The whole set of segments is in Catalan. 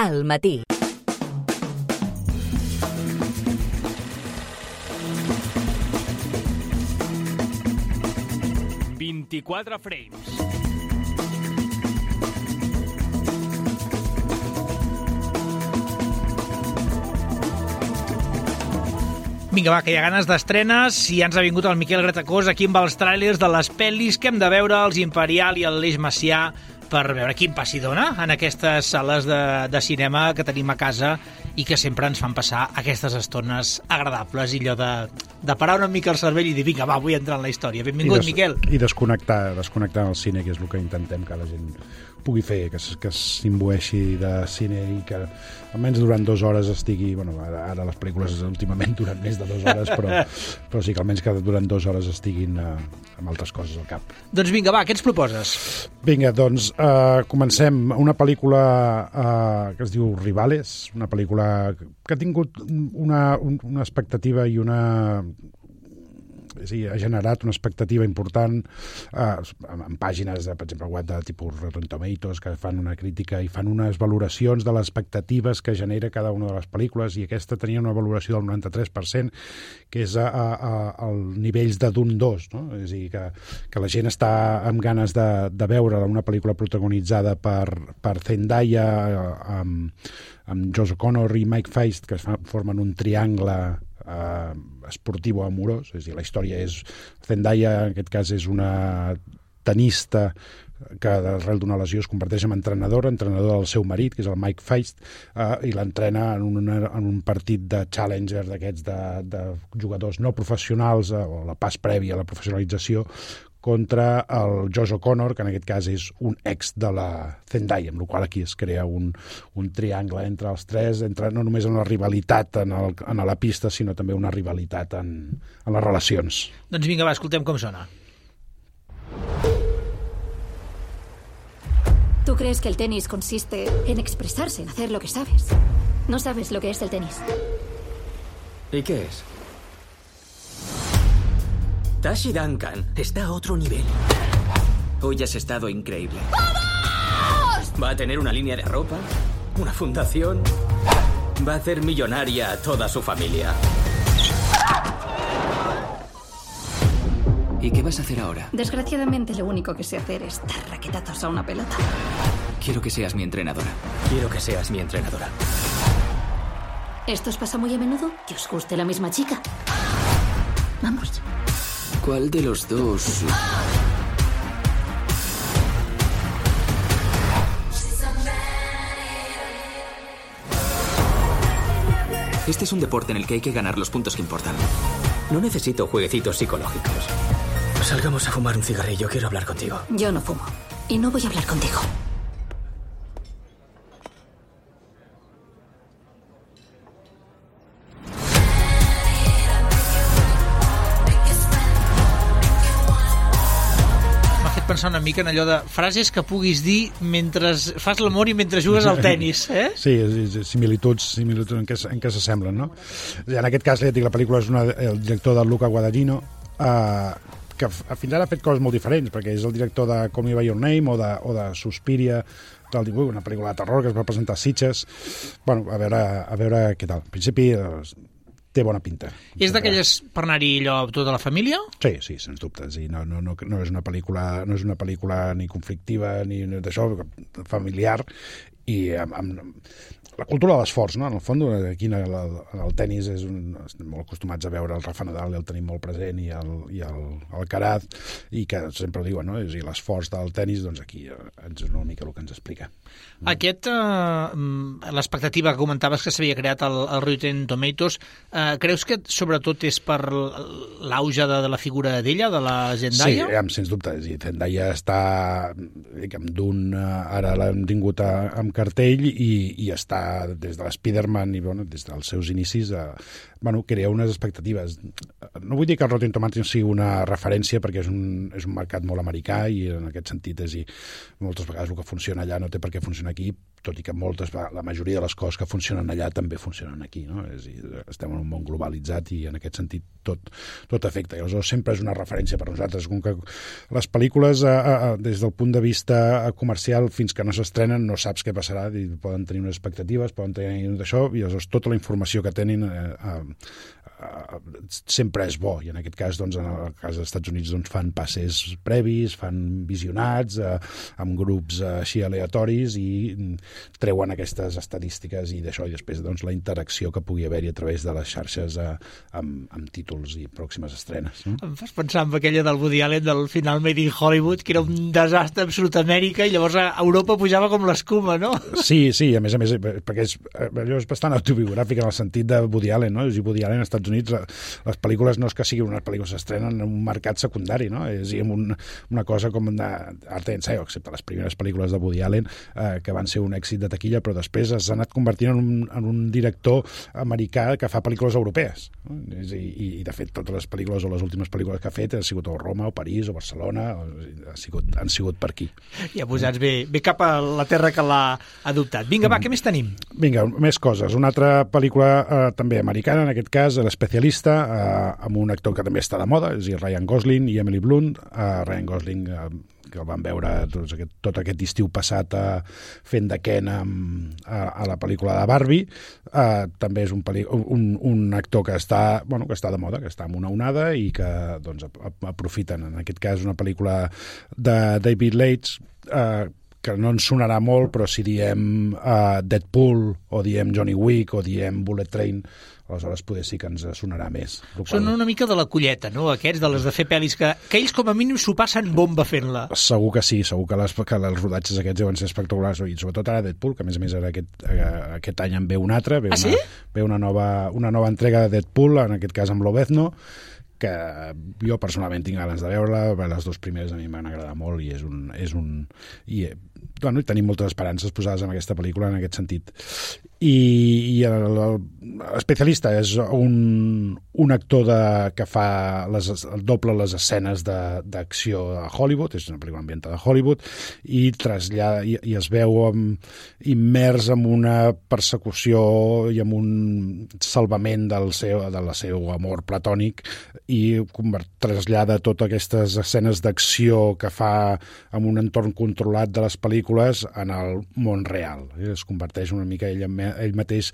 al matí. ...24 frames. Vinga, va, que hi ha ganes d'estrenes i ja ens ha vingut el Miquel Gratacós aquí amb els tràilers de les pel·lis que hem de veure, els Imperial i el l'Eix Macià, per veure quin pas hi dona en aquestes sales de cinema que tenim a casa i que sempre ens fan passar aquestes estones agradables i allò de parar una mica el cervell i dir, vinga, va, vull entrar en la història. Benvingut, Miquel. I desconnectar el cine, que és el que intentem que la gent pugui fer, que s'imbueixi de cine i que almenys durant 2 hores estigui... Bueno, ara les pel·lícules últimament duren més de 2 hores, però sí que almenys que durant 2 hores estiguin amb altres coses al cap. Doncs vinga, va, què ens proposes? Vinga, doncs comencem. Una pel·lícula que es diu Rivales, una pel·lícula que ha tingut una expectativa i una... Sí, ha generat una expectativa important en pàgines, per exemple, web de tipus Rotten Tomatoes, que fan una crítica i fan unes valoracions de les expectatives que genera cada una de les pel·lícules, i aquesta tenia una valoració del 93%, que és al nivells de d'un 2, no? És a dir, que la gent està amb ganes de veure una pel·lícula protagonitzada per Zendaya, amb Josh O'Connor i Mike Faist, que formen un triangle esportiu o amorós. És a dir, la història és... Zendaya, en aquest cas, és una tenista que arrel d'una lesió es converteix en entrenador del seu marit, que és el Mike Faist, i l'entrena en un partit de challenger d'aquests de jugadors no professionals, o la pas prèvia a la professionalització, contra el Josh O'Connor, que en aquest cas és un ex de la Zendaya, amb la qual aquí es crea un triangle entre els tres, no només en la rivalitat en la pista, sinó també una rivalitat en les relacions. Doncs vinga, va, escoltem com sona. ¿Tú crees que el tenis consiste en expresarse, en hacer lo que sabes? No sabes lo que es el tenis. ¿Y qué es? Tashi Duncan está a otro nivel. Hoy has estado increíble. ¡Vamos! Va a tener una línea de ropa, una fundación. Va a hacer millonaria a toda su familia. ¿Y qué vas a hacer ahora? Desgraciadamente, lo único que sé hacer es dar raquetazos a una pelota. Quiero que seas mi entrenadora. Quiero que seas mi entrenadora. ¿Esto os pasa muy a menudo? ¿Que os guste la misma chica? Vamos. ¿Cuál de los dos? Este es un deporte en el que hay que ganar los puntos que importan. No necesito jueguecitos psicológicos. Salgamos a fumar un cigarrillo, quiero hablar contigo. Yo no fumo. Y no voy a hablar contigo. Pensar una mica en allò de frases que puguis dir mentre fas l'amor i mentre jugues al tennis, eh? Sí, similituds en què s'assemblen, no? En aquest cas, ja dic, la pel·lícula és el director de Luca Guadagnino, que fins ara ha fet coses molt diferents, perquè és el director de Call Me By Your Name o de Suspiria, una pel·lícula de terror que es va presentar a Sitges. Bueno, a veure què tal. En principi... té bona pinta. És d'aquelles per anar-hi allò amb tota la família? Sí, sens dubte. Sí, no és una pel·lícula ni conflictiva ni d'això, familiar, i amb la cultura de l'esforç, no? En el fons, aquí en el tennis estem molt acostumats a veure el Rafa Nadal, el tenim molt present, i el Alcaraz, i que sempre ho diuen, no? És a dir, l'esforç del tennis, doncs aquí és una mica el que ens explica. L'expectativa que comentaves que s'havia creat al Rotten Tomatoes, creus que sobretot és per l'auge de la figura d'ella, de la Zendaya? Sí, sens dubte. Zendaya està, ara l'hem tingut amb cartell i està des de l'Spiderman i des dels seus inicis crea unes expectatives. No vull dir que el Rotten Tomatoes sigui una referència, perquè és un mercat molt americà, i en aquest sentit moltes vegades el que funciona allà no té per què funcionar aquí, tot i que la majoria de les coses que funcionen allà també funcionen aquí, no? És a dir, estem en un món globalitzat i en aquest sentit tot afecta. I aleshores sempre és una referència per nosaltres. Com que les pel·lícules, des del punt de vista comercial, fins que no s'estrenen, no saps què passarà, i poden tenir unes expectatives negatives, poden tenir d'això, i aleshores tota la informació que tenen sempre és bo, i en aquest cas, doncs, en el cas dels Estats Units, doncs, fan passes previs, fan visionats amb grups així aleatoris i treuen aquestes estadístiques i d'això, i després, doncs, la interacció que pugui haver-hi a través de les xarxes amb títols i pròximes estrenes. No? Em fas pensar en aquella del Woody Allen del final Made in Hollywood, que era un desastre absolut a Amèrica, i llavors a Europa pujava com l'escuma, no? Sí, a més, perquè allò és bastant autobiogràfic en el sentit de Woody Allen, no? És a dir, Woody Allen als Estats Units, les pel·lícules no és que siguin unes pel·lícules que s'estrenen en un mercat secundari, no? És una cosa com art d'ensaio, excepte les primeres pel·lícules de Woody Allen, que van ser un èxit de taquilla, però després s'ha anat convertint en un director americà que fa pel·lícules europees. No? I de fet, totes les pel·lícules o les últimes pel·lícules que ha fet han sigut o Roma, o París, o Barcelona, han sigut per aquí. Ja posats bé cap a la terra que l'ha adoptat. Vinga, va, què més tenim? Vinga, més coses. Una altra pel·lícula també americana, en aquest cas, L'Especialista, amb un actor que també està de moda, és a dir, Ryan Gosling i Emily Blunt. Ryan Gosling, que el vam veure tot aquest estiu passat fent de Ken a la pel·lícula de Barbie. També és un actor que està de moda, que està amb una onada i que doncs, aprofiten, en aquest cas, una pel·lícula de David Leitch, que no ens sonarà molt, però si diem Deadpool, o diem Johnny Wick, o diem Bullet Train, aleshores poder sí que ens sonarà més. Són una mica de la colleta, no?, aquests, de les de fer pel·lis, que ells com a mínim s'ho passen bomba fent-la. Segur que sí, segur que els rodatges aquests deuen ser espectaculars, i sobretot ara Deadpool, que a més ara aquest any en ve un altre, ve una nova entrega de Deadpool, en aquest cas amb Lobezno, que jo personalment tinc ganes de veure-la. Les dues primeres a mi m'han agradat molt i tenim moltes esperances posades en aquesta pel·lícula en aquest sentit. I l'Especialista és un actor que fa doble les escenes d'acció a Hollywood, és una pel·lícula ambientada a Hollywood, i es veu immers en una persecució i en un salvament del seu amor platònic, i trasllada totes aquestes escenes d'acció que fa en un entorn controlat de les pel·lícules en el món real. Es converteix una mica ell mateix,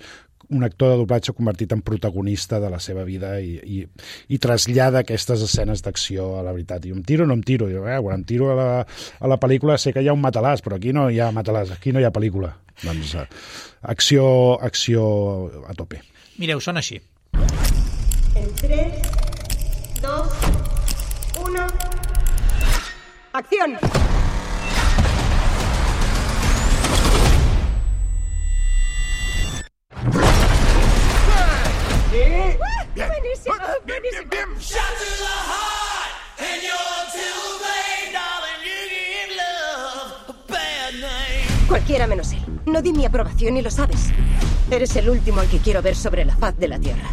un actor de doblatge convertit en protagonista de la seva vida, i trasllada aquestes escenes d'acció a la veritat. I em tiro o no em tiro? Quan em tiro a la pel·lícula sé que hi ha un matalàs, però aquí no hi ha matalàs, aquí no hi ha pel·lícula. Doncs acció a tope. Mireu, sona així. En 3, 2, 1... ¡Acción! Bien. Buenísimo, Bien. Cualquiera menos él. No di mi aprobación y lo sabes. Eres el último al que quiero ver sobre la faz de la Tierra.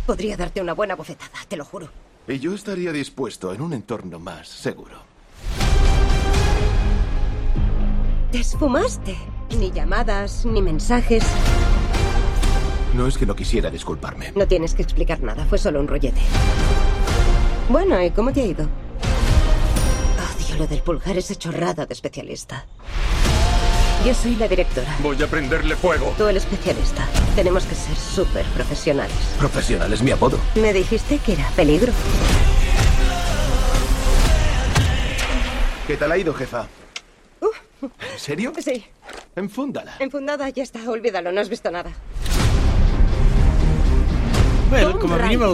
Podría darte una buena bofetada, te lo juro. Y yo estaría dispuesto en un entorno más seguro. Te esfumaste. Ni llamadas, ni mensajes. No es que no quisiera disculparme. No tienes que explicar nada, fue solo un rollete. Bueno, ¿y cómo te ha ido? Odio lo del pulgar, esa chorrada de especialista. Yo soy la directora. Voy a prenderle fuego. Tú el especialista. Tenemos que ser súper profesionales. Profesional es mi apodo. Me dijiste que era peligro. ¿Qué tal ha ido, jefa? ¿En serio? Sí. Enfúndala. Enfundada, ya está, olvídalo, no has visto nada. Bé, com a mínim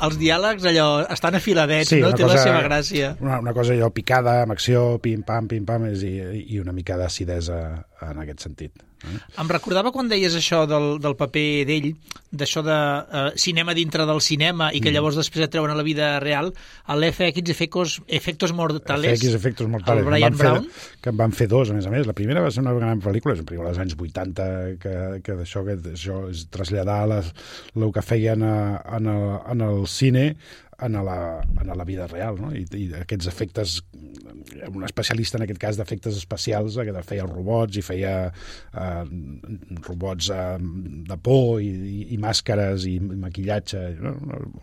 els diàlegs allò estan afiladets, sí, no? Té la seva gràcia. Una cosa allò picada, amb acció, pim-pam, i una mica d'acidesa en aquest sentit. Em recordava quan deies això del paper d'ell, d'això de cinema dintre del cinema, i que llavors després et treuen a la vida real, l'FX Efectos Mortales, Efectos Mortales, el Brian Brown, que en van fer dos, a més. La va ser una gran pel·lícula, és una pel·lícula dels anys 80, que això és traslladar el que feien en el cine en la vida real, no? I aquests efectes, un especialista en aquest cas d'efectes especials, que feia els robots i feia robots de por i màscares i maquillatge, no?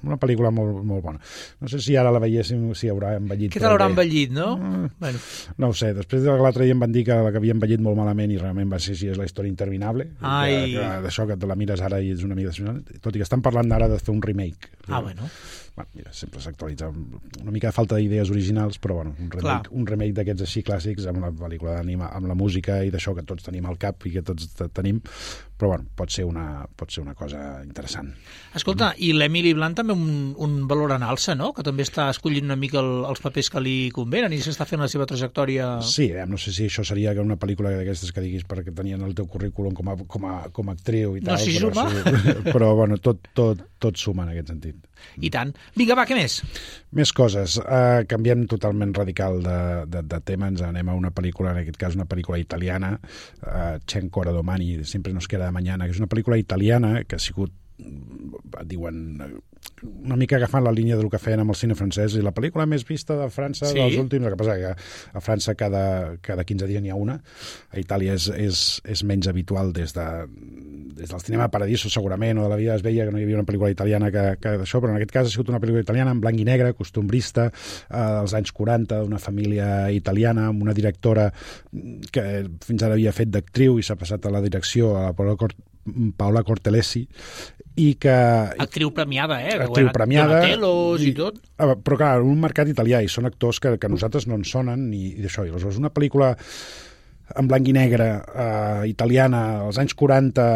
Una pel·lícula molt, molt bona. No sé si ara la veiéssim, si haurà envellit. Què tal haurà envellit, no? Bueno. No ho sé, després de l'altre dia em van dir que havia envellit molt malament i realment va ser així, és la història interminable, d'això que te la mires ara i és una mica decepcionant, tot i que estan parlant ara de fer un remake. Bueno. Mira, sempre s'actualitza una mica de falta d'idees originals, però bueno, un remake d'aquests així clàssics amb la pel·lícula d'anima, amb la música i d'això que tots tenim al cap i que tots tenim, però bueno, pot ser una cosa interessant. Escolta, i l'Emily Blunt també un valor en alça, no? Que també està escollint una mica els papers que li convenen i s'està fent la seva trajectòria... Sí, no sé si això seria una pel·lícula d'aquestes que diguis perquè tenien el teu currículum com a actriu i tal. No, si suma. Però bueno, tot suma en aquest sentit. I tant. Vinga, va, què més? Més coses. Canviem totalment radical de tema. Ens anem a una pel·lícula, en aquest cas una pel·lícula italiana, Cenco Domani, Sempre nos queda de mañana, que és una pel·lícula italiana que ha sigut, diuen, una mica agafant la línia del que feien amb el cine francès, i la pel·lícula més vista de França dels últims, el que passa que a França cada 15 dies n'hi ha una, a Itàlia és menys habitual des del cinema Paradiso segurament, o de La vida es veia que no hi havia una pel·lícula italiana que d'això, però en aquest cas ha sigut una pel·lícula italiana en blanc i negre, costumbrista, dels anys 40, d'una família italiana, amb una directora que fins ara havia fet d'actriu i s'ha passat a la direcció, a la Paola Cortellesi, i que... Actriu premiada, Actriu premiada. Donatellos i tot. Però clar, un mercat italià, i són actors que a nosaltres no ens sonen, i d'això. I aleshores una pel·lícula en blanc i negre, italiana, als anys 40,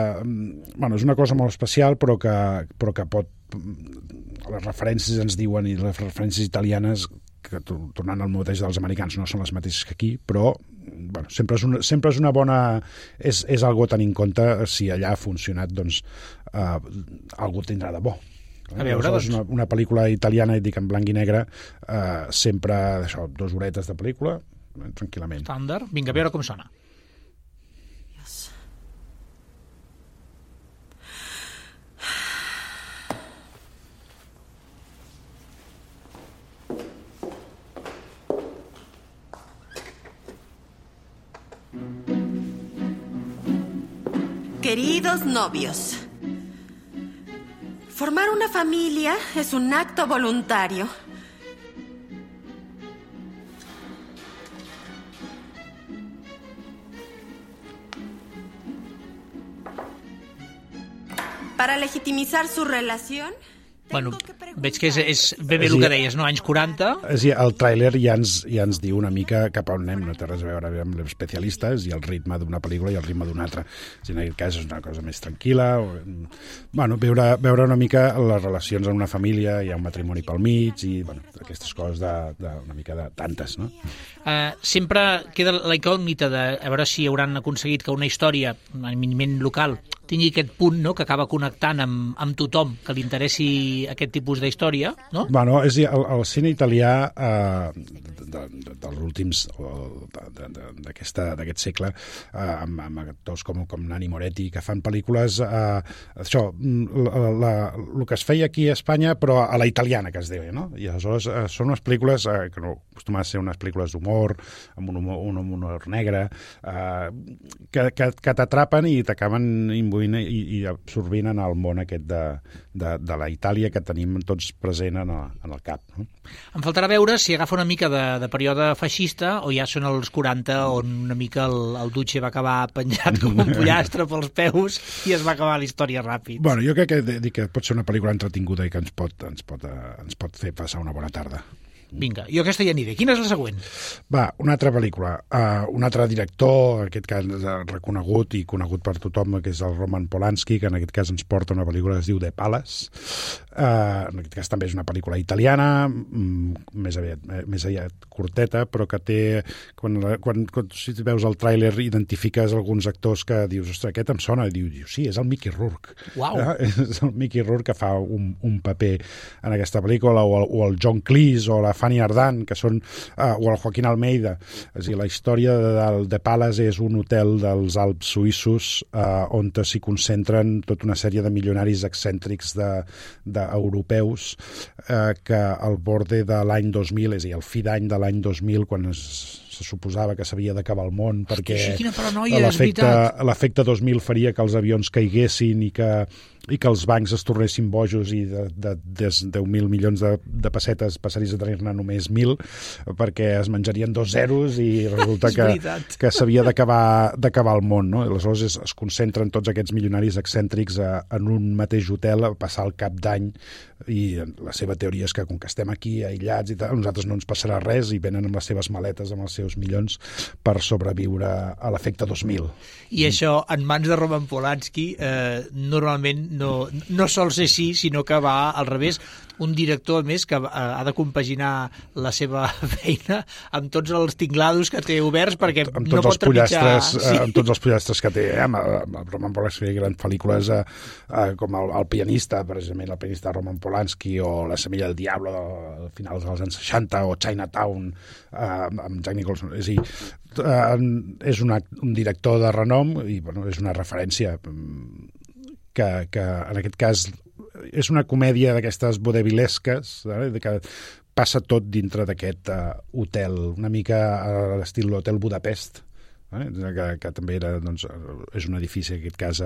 bueno, és una cosa molt especial, però que pot... Les referències ens diuen, i les referències italianes, que tornant al mateix dels americans, no són les mateixes que aquí, però bueno, sempre és una bona... És algo a tenir en compte. Si allà ha funcionat, doncs algú tindrà de bo. A veure, doncs... Una pel·lícula italiana, dic en blanc i negre, sempre, això, 2 horetes de pel·lícula, tranquil·lament. Estàndard. Vinga, a veure com sona. Queridos novios, formar una familia es un acto voluntario. Para legitimizar su relación... Bueno, veig que és ben bé el que deies, no? Anys 40. El tràiler ja ens diu una mica cap a on anem, no té res a veure amb els especialistes i el ritme d'una pel·lícula i el ritme d'una altra. En aquest cas és una cosa més tranquil·la. Bueno, veure una mica les relacions en una família, hi ha un matrimoni pel mig i bueno, aquestes coses una mica de tantes, no? Sempre queda la incògnita de a veure si hauran aconseguit que una història, eminentment local, tingui aquest punt, no?, que acaba connectant amb tothom que li interessi aquest tipus d'història, no? Bueno, és a dir, el cine italià dels últims, d'aquest segle, amb actors com Nanni Moretti, que fan pel·lícules, això, el que es feia aquí a Espanya, però a la italiana, que es deia, no? I aleshores són unes pel·lícules que no acostumen a ser unes pel·lícules d'humor, amb un humor negre, que t'atrapen i t'acaben imbuint i absorbint en el món aquest de la Itàlia que tenim tots present en el cap. No? Em faltarà veure si agafa una mica de període feixista o ja són els 40 on una mica el Duce va acabar penjat com un pollastre pels peus i es va acabar la història ràpid. Bueno, jo crec que pot ser una pel·lícula entretinguda i que ens pot fer passar una bona tarda. Vinga, jo aquesta ja aniré. Quina és la següent? Va, una altra pel·lícula. Un altre director, en aquest cas reconegut i conegut per tothom, que és el Roman Polanski, que en aquest cas ens porta una pel·lícula que es diu The Palace. En aquest cas també és una pel·lícula italiana, més aviat curteta, però que té... Quan si veus el tràiler identifiques alguns actors que dius, ostres, aquest em sona, i dius, sí, és el Mickey Rourke. Uau! És el Mickey Rourke que fa un paper en aquesta pel·lícula, o el John Cleese, o la Fanny Ardant, que són, o el Joaquín Almeida. És a dir, la història del The Palace és un hotel dels Alps suïssos on s'hi concentren tota una sèrie de milionaris excèntrics europeus que al borde de l'any 2000, és a dir, el fi d'any de l'any 2000, quan se suposava que s'havia d'acabar el món, perquè l'efecte 2000 faria que els avions caiguessin i que els bancs es tornessin bojos i de 10.000 milions de pessetes passaries a tenir-ne només 1.000, perquè es menjarien 2 zeros i resulta que s'havia d'acabar el món, no? Aleshores es concentren tots aquests milionaris excèntrics en un mateix hotel a passar el cap d'any, i la seva teoria és que com que estem aquí aïllats i tal, a nosaltres no ens passarà res, i venen amb les seves maletes, amb els seus milions, per sobreviure a l'efecte 2000. I això, en mans de Roman Polanski, normalment no sol ser així, sinó que va al revés. Un director, a més, que ha de compaginar la seva feina amb tots els tinglados que té oberts, perquè no pot trepitjar... Amb tots els pollastres que té. Amb Roman Polanski hi ha grans pel·lícules com El pianista, precisament el pianista de Roman Polanski, o La semilla del diablo de finals dels anys 60, o Chinatown amb Jack Nicholson. És a dir, és un director de renom i és una referència que en aquest cas és una comèdia d'aquestes vodevilesques, que passa tot dintre d'aquest hotel, una mica a l'estil l'Hotel Budapest, que també era, doncs, és un edifici, en aquest cas,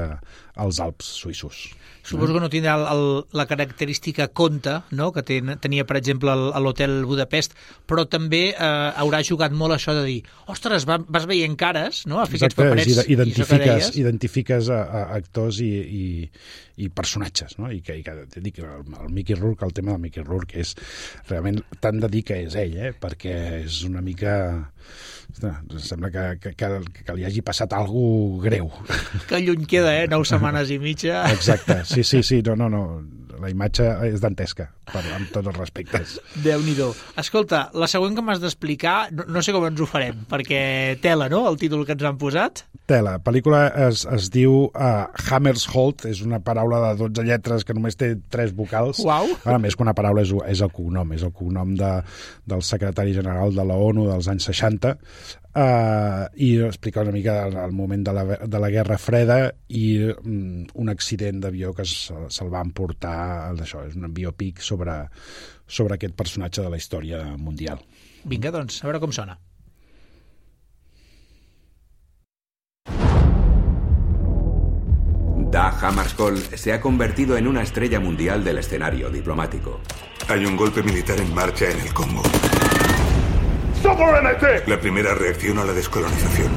als Alps suïssos. Suposo que no tindrà la característica conte, no?, que tenia, per exemple, a l'Hotel Budapest, però també haurà jugat molt això de dir, ostres, vas veient cares, no?, a fer aquests paperets. Identifiques actors i personatges, no?, i que dic, el Mickey Rourke, el tema del Mickey Rourke és realment tant de dir que és ell, perquè és una mica... Sembla que li hagi passat alguna greu. Que lluny queda, 9 setmanes i mitja. Exacte, sí, no. La imatge és dantesca, amb tots els respectes. Déu-n'hi-do. Escolta, la següent que m'has d'explicar, no sé com ens ho farem, perquè tela, no?, el títol que ens han posat. Tela. La pel·lícula es diu Hammersholt, és una paraula de 12 lletres que només té 3 vocals. Uau! A més que una paraula és el cognom del secretari general de la ONU dels anys 60, i explica una mica el moment de la Guerra Freda i un accident d'avió que se'l va emportar. D'això és un biopic sobre aquest personatge de la història mundial. Vinga, doncs, a veure com sona. Dag Hammarskjöld se ha convertido en una estrella mundial del escenario diplomático. Hay un golpe militar en marcha en el Congo. La primera reacción a la descolonización.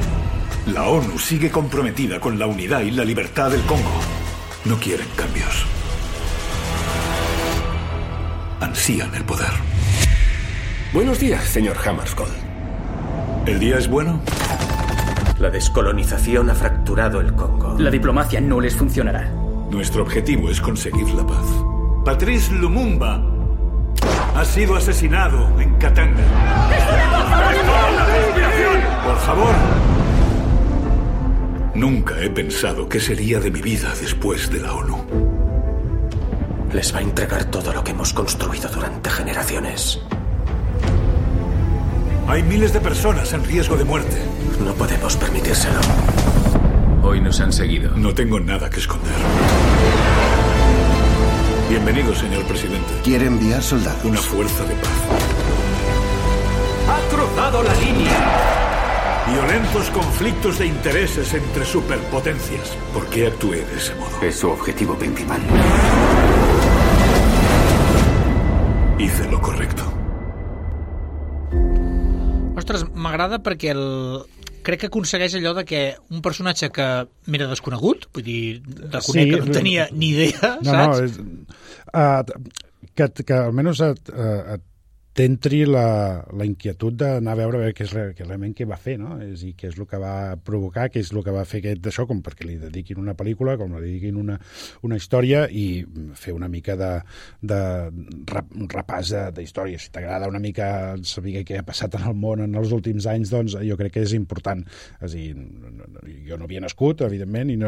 La ONU sigue comprometida con la unidad y la libertad del Congo. No quieren cambios. Ansían el poder. Buenos días, señor Hammarskjöld. ¿El día es bueno? La descolonización ha fracturado el Congo. La diplomacia no les funcionará. Nuestro objetivo es conseguir la paz. Patrice Lumumba ha sido asesinado en Katanga. Por favor. Nunca he pensado qué sería de mi vida después de la ONU. Les va a entregar todo lo que hemos construido durante generaciones. Hay miles de personas en riesgo de muerte. No podemos permitírselo. Hoy nos han seguido. No tengo nada que esconder. Bienvenido, señor presidente. Quiere enviar soldados. Una fuerza de paz. ¡Ha cruzado la línea! Violentos conflictos de intereses entre superpotencias. ¿Por qué actué de ese modo? Es su objetivo principal. Hice lo correcto. Ostres, m'agrada perquè crec que aconsegueix allò de que un personatge que m'era desconegut, vull dir, reconec que no tenia ni idea, saps? Que almenys t'entri la inquietud d'anar a veure què és realment què va fer, no? És a dir, què és el que va provocar, què és el que va fer d'això, com perquè li dediquin una pel·lícula, com li dediquin una història, i fer una mica de repàs d'història. Si t'agrada una mica saber què ha passat en el món en els últims anys, doncs jo crec que és important. És a dir, jo no havia nascut, evidentment, i no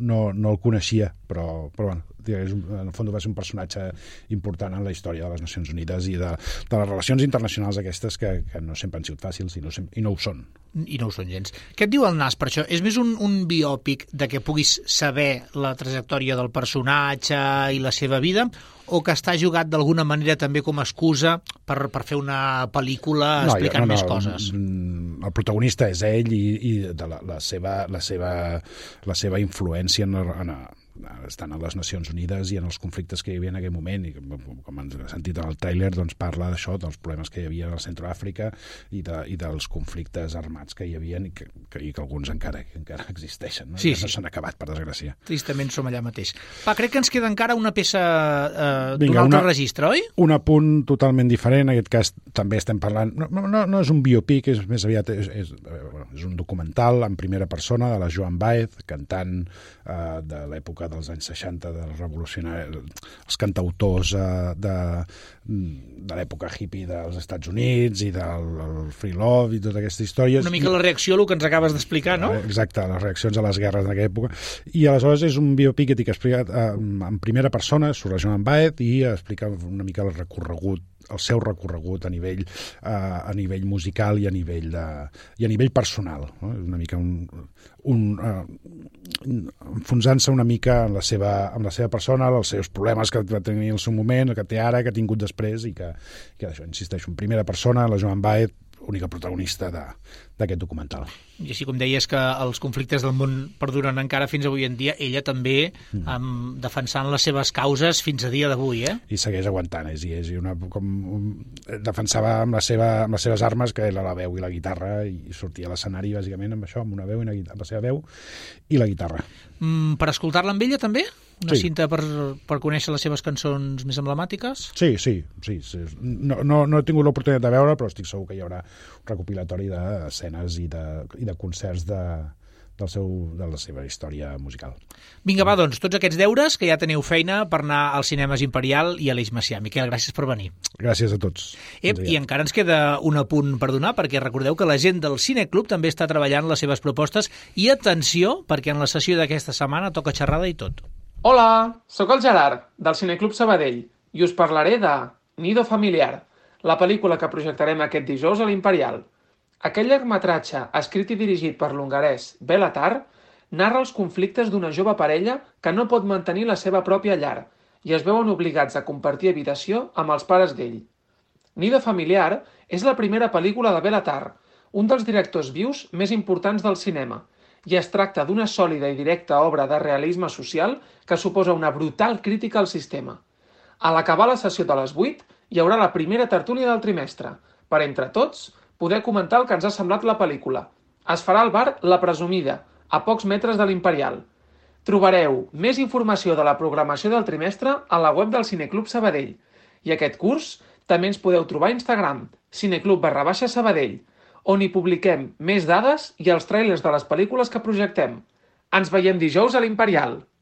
el coneixia, però bueno, en el fons va ser un personatge important en la història de les Nacions Unides i de les relacions internacionals aquestes que no sempre han sigut fàcils i no ho són. I no ho són gens. Què et diu el Nas per això? És més un biòpic de que puguis saber la trajectòria del personatge i la seva vida, o que està jugat d'alguna manera també com a excusa per fer una pel·lícula explicant més coses? El protagonista és ell i de la seva influència estan a les Nacions Unides i en els conflictes que hi havia en aquell moment, i com han sentit en el tràiler, doncs parla d'això, dels problemes que hi havia al Centroàfrica i dels conflictes armats que hi havia i que alguns encara existeixen, no? Sí, no s'han acabat, per desgràcia. Tristament som allà mateix. Crec que ens queda encara una peça d'un altre registre, oi? Un apunt totalment diferent, en aquest cas també estem parlant, no és un biopic, és més aviat és un documental en primera persona de la Joan Baez, cantant de l'època dels anys 60, dels revolucionaris, els cantautors de l'època hippie dels Estats Units i del free love i totes aquestes històries. Una mica la reacció a el que ens acabes d'explicar, no? Exacte, les reaccions a les guerres d'aquella època. I aleshores és un biopic que explicat en primera persona sobre la Joan Baez i explica una mica el seu recorregut a nivell musical i a nivell personal, no? Una mica enfonsant-se una mica en la seva persona, els seus problemes que va tenir en el seu moment, el que té ara, que ha tingut després, i que això, insisteixo, en primera persona, la Joan Baez, única protagonista d'aquest documental. I així com deies que els conflictes del món perduren encara fins avui en dia, ella també defensant les seves causes fins a dia d'avui, eh? I segueix aguantant, defensava amb les seves armes, que era la veu i la guitarra, i sortia a l'escenari bàsicament amb això, amb una veu, amb la seva veu i la guitarra. Per escoltar-la amb ella també? Una cinta per conèixer les seves cançons més emblemàtiques? Sí. No he tingut l'oportunitat de veure, però estic segur que hi haurà un recopilatori d'escenes i de concerts de la seva història musical. Vinga, va, doncs, tots aquests deures, que ja teniu feina per anar als cinemes Imperial i a l'Eix Macià. Miquel, gràcies per venir. Gràcies a tots. I encara ens queda un apunt per donar, perquè recordeu que la gent del Cineclub també està treballant les seves propostes, i atenció, perquè en la sessió d'aquesta setmana toca xerrada i tot. Hola, sóc el Gerard, del Cineclub Sabadell, i us parlaré de Nido Familiar, la pel·lícula que projectarem aquest dijous a l'Imperial. Aquest llargmetratge, escrit i dirigit per l'hongarès Béla Tarr, narra els conflictes d'una jove parella que no pot mantenir la seva pròpia llar i es veuen obligats a compartir habitació amb els pares d'ell. Nido Familiar és la primera pel·lícula de Béla Tarr, un dels directors vius més importants del cinema, i es tracta d'una sòlida i directa obra de realisme social que suposa una brutal crítica al sistema. A l'acabar la sessió de les 8 hi haurà la primera tertúlia del trimestre, per entre tots poder comentar el que ens ha semblat la pel·lícula. Es farà al bar La Presumida, a pocs metres de l'Imperial. Trobareu més informació de la programació del trimestre a la web del Cineclub Sabadell. I aquest curs també ens podeu trobar a Instagram, cineclub_Sabadell, on hi publiquem més dades i els tràilers de les pel·lícules que projectem. Ens veiem dijous a l'Imperial!